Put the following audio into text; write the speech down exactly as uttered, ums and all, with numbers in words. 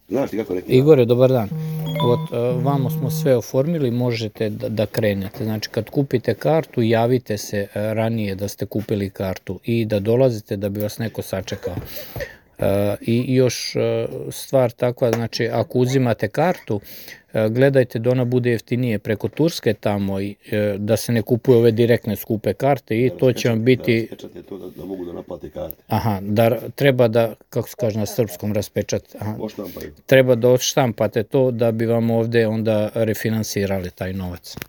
Znaš ti kako rekli? Igore, dobar dan. Vamo smo sve oformili, možete da krenete. Znači, kad kupite kartu, javite se ranije da ste kupili kartu i da dolazite da bi vas neko sačekao. I još stvar takva, znači, ako uzimate kartu, gledajte da ona bude jeftinije preko Turske tamo, da se ne kupuju ove direktne skupe karte i to će vam biti... Da raspečate to da mogu da naplate karte. Aha, da treba da, kako se kaže na srpskom, raspečate. Odštampaju. Treba da odštampate to da bi vam ovde onda refinansirali taj novac.